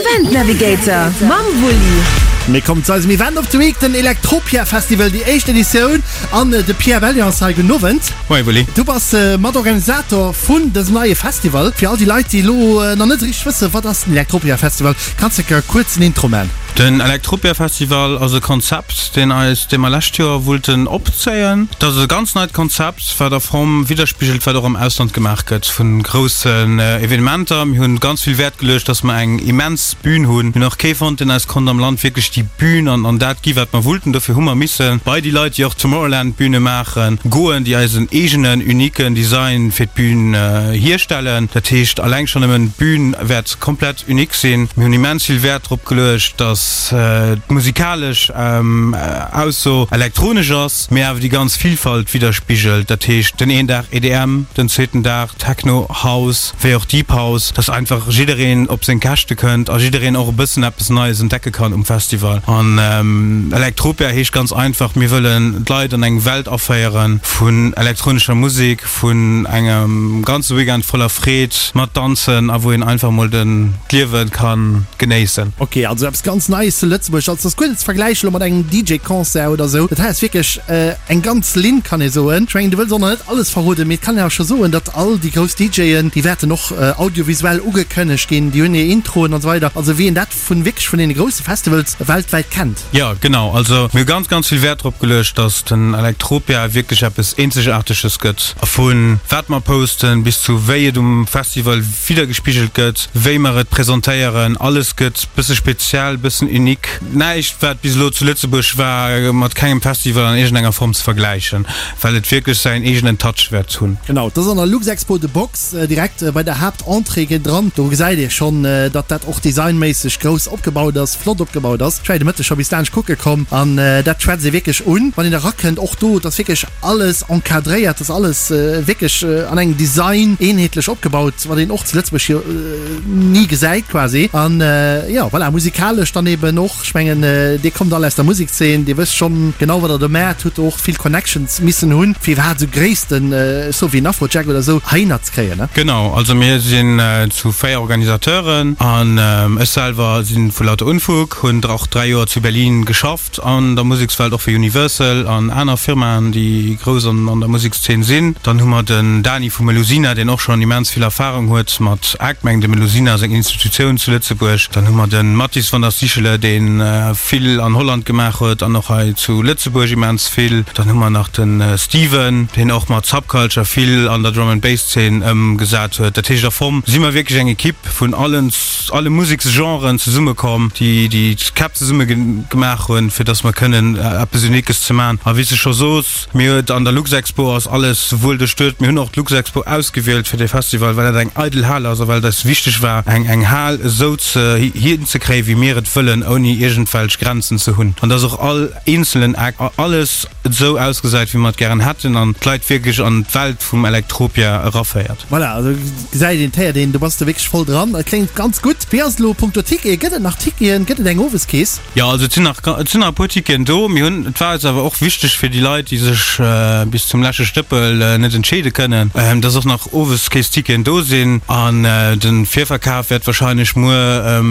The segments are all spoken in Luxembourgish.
Event Navigator mam Wulli. Mir kommen zu eisem Event of the Week, den Electropia Festival, déi éischt Editioun. An de Pierre Bellion ass hei. Gudden Owend. Moie Wulli. Du bass Matorganisator vun dësem neie Festival. Fir all déi Leit, déi elo nach net richteg wëssen, wat ass den Electropia Festival, kanns de e kuerzen Intro man? Den Electropia Festival ass e Konzept, deen eis, dee mer lescht Joer wollten opzéien. Dat ass e ganz neit Konzept. Wat a Form widderspigelt, wat och am Ausland gemaach gëtt vu groussen Evenementer. Mir hunn ganz vill Wäert geluecht, dass mer eng immens Bühn hunn. Mir hunn och kee fonnt, deen eis konnt am Land wierklech déi Bühn an an dat gi wat mer wollten. Dofir hu mer misse bei déi Leit, déi och Tomorrowland-Bühne maachen, goen, déi eis en eegenen, uniquen Design fir d'Bühn hierstellen. Dat heescht, alleng schonn nëmmen d'Bühn wäert komplett unique sinn. Mir hunn immens vill Wäert drop geluecht, dass d'musikalesch Ausso elektronesch ass. Mee awer déi ganz Vilfalt widderspigelt, dat heescht den een Dag EDM, den zweeten Dag Techno, House, wéi och Deep House, dass einfach jiddereen op seng Käschte kënnt a jiddereen och e bëssen eppes Neies entdecke kann um Festival. An Electropia heescht ganz einfach, mir wëllen d'Leit an eng Welt aféiere vun elektronescher Musek, vun engem ganze Weekend voller Freed mat Danzen a wou een einfach mol den d'Liewe ka genéissen. Ok, also eppes ganz Neies zu Lëtzebuerg. Also ass guer net ze vergläichen elo mat engem DJ-Concert oder esou. Dat hei ass wierklech eng ganz Linn, kann ee soen. Ech mengen, du wëlls och nach net alles verroden, mee et kann een awer scho soen, datt all déi grouss DJen, déi wäerten och audiovisuell ugekënnegt ginn, déi hunn hir Introen an esou weider. Also wéi een dat vun wierklech vun deene grousse Festivals weltwäit kennt. Jo, genau. Also mir hu ganz, ganz vill Wäert drop geluecht, dass den Electropia wierklech eppes Eenzegaarteges gëtt. Vu wat mer posten, bis zu wéi et um Festival widdergespigelt gëtt, wéi mer et presentéieren, alles gëtt bësse speziell, bëssen unique. Näischt wat bis elo zu Lëtzebuerg war, mat kengem Festival an iergendenger Form ze vergläichen, well et wierklech säin eegenen Touch wäert hunn. Genau, et ass an der Luxexpo The Box, direkt bei der Haaptentrée géint dran. Do gesäit ee schonn, datt dat och designméisseg grouss opgebaut ass, flott opgebaut ass. Ech war jo de Mëtteg scho bis laanscht kucke komm an dat schwätzt ee wierklech un, wann een erakënnt. Och do, et ass wierklech alles encadréiert, et ass alles wierklech an engem Design eenheetlech opgebaut, wat een och zu Lëtzebuerg jo ni gesäit quasi. An jo, voilà, musikalesch dann eben och. Ech mengen, Dir kommt all aus der Musekszeen, Dir wësst schonn genau, wat Der do maacht, hutt och vill Connections missen hunn, fir iwwerhaapt esou Gréissten, ech soe wéi en Afrojack oder esou, heihinner ze kréien, ne? Genau, also mir sinn zu 4 Organisateuren an ech selwer si vu Lauter Unfug, hunn och 3 Joer zu Berlin geschafft an der Musekswelt, och fir Universal an aner Firmaen, déi grouss an der Musekszeen sinn. Dann hu mer den Dani vu Melusina, deen och schonn immens vill Erfarung huet mat Act, mengen de Melusina ass eng Institutioun zu Lëtzebuerg. Dann hu mer de Mathis van der Stichele, dee vill an Holland gemaach huet an och hei zu Lëtzebuerg immens vill. Dann hu mer nach de Steven, deen och mat Subculture vill an der Drum and Bass Zeen ëmgesat huet. Dat heescht, a Form si mer wierklech eng Ekipp vun allen, alle Museksgenren zesummekomm, déi déi d'Käpp zesumme gemaach hunn, fir datt mer kënnen eppes Uniques ze maachen. A wéi s de scho sos, Mir huet an der Luxexpo ass alles wuel duerchduet. Mir hunn och d'Luxexpo ausgewielt fir dee Festival, well dat eng eidel Hal ass a well et eis wichteg war, eng eng Hal esou ze hinzekréien, wéi mir et wëllen, ouni iergendwelch Grenzen ze hunn. An dass och all eenzelen Act, alles esou ausgesäit, wéi mer et gären hätten an d'Leit wierklech an d'Welt vum Electropia eraféiert. Voilà, also gesäit een, d'héiert een, do bass de wierklech voll dran. Et kléngt ganz gutt. Wéi ass et elo punkto Tickete? Gëtt et nach Ticketen? Gëtt et eng Oweskeess? Jo, also et sinn nach, et sinn nach e puer Ticketen do. Mir hunn, et war eis awer och wichteg fir déi Leit, déi sech bis zum leschte Stëppel net entscheede kënnen, dass och nach Oweskeessticketen do sinn. An de Virverkaf wäert wahrscheinlech muer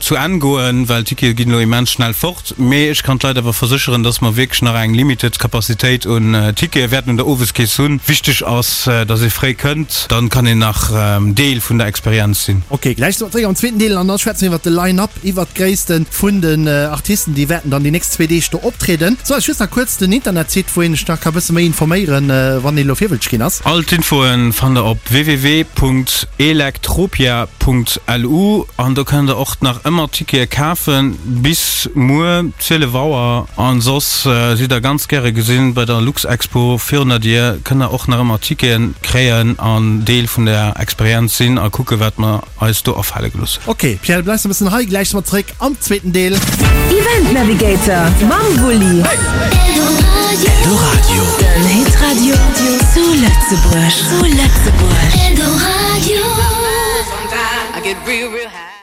zu Enn goen, well d'Tickete ginn elo immens schnell fort. Mee ech kann d'Leit awer versécheren, dass mer wierklech nach eng limited Capacitéit un Tickete wäerten un der Oweskeess hunn. Wichteg ass, dass ee fréi kënnt, dann kann een nach Deel vun der Experienz sinn. Ok, gläich si mer zréck am zweeten Deel an da schwätze mir iwwert de Line-Up. Iwwert d'Gréisste vun den Artisten, déi wäerten dann déi nächst zwee Deeg do optrieden. Sou, just nach kuerz den Internetsite, wou een sech nach ka bësse méi informéieren, wann een elo virwëlzeg ginn ass. All d'Infoen fannt der op www.electropia.lu an do kënnt der och nach ëmmer Tickete kafen bis muer 12 Auer. An soss sidd der ganz gäre gesinn bei der Luxexpo virun der Dier, kënnt der och nach ëmmer Ticketen kréien an Deel vun der Experienz sinn a kucke wat mer eis do afale gelooss. Ok Pierre, du bleifs e bëssen hei, gläich si mer zeréck am zweeten Deel. Event Navigator mam Wulli. Eldoradio. Den Hitradio zu Lëtzebuerg. Zu Lëtzebuerg. Eldoradio. Sometimes I get real, real high.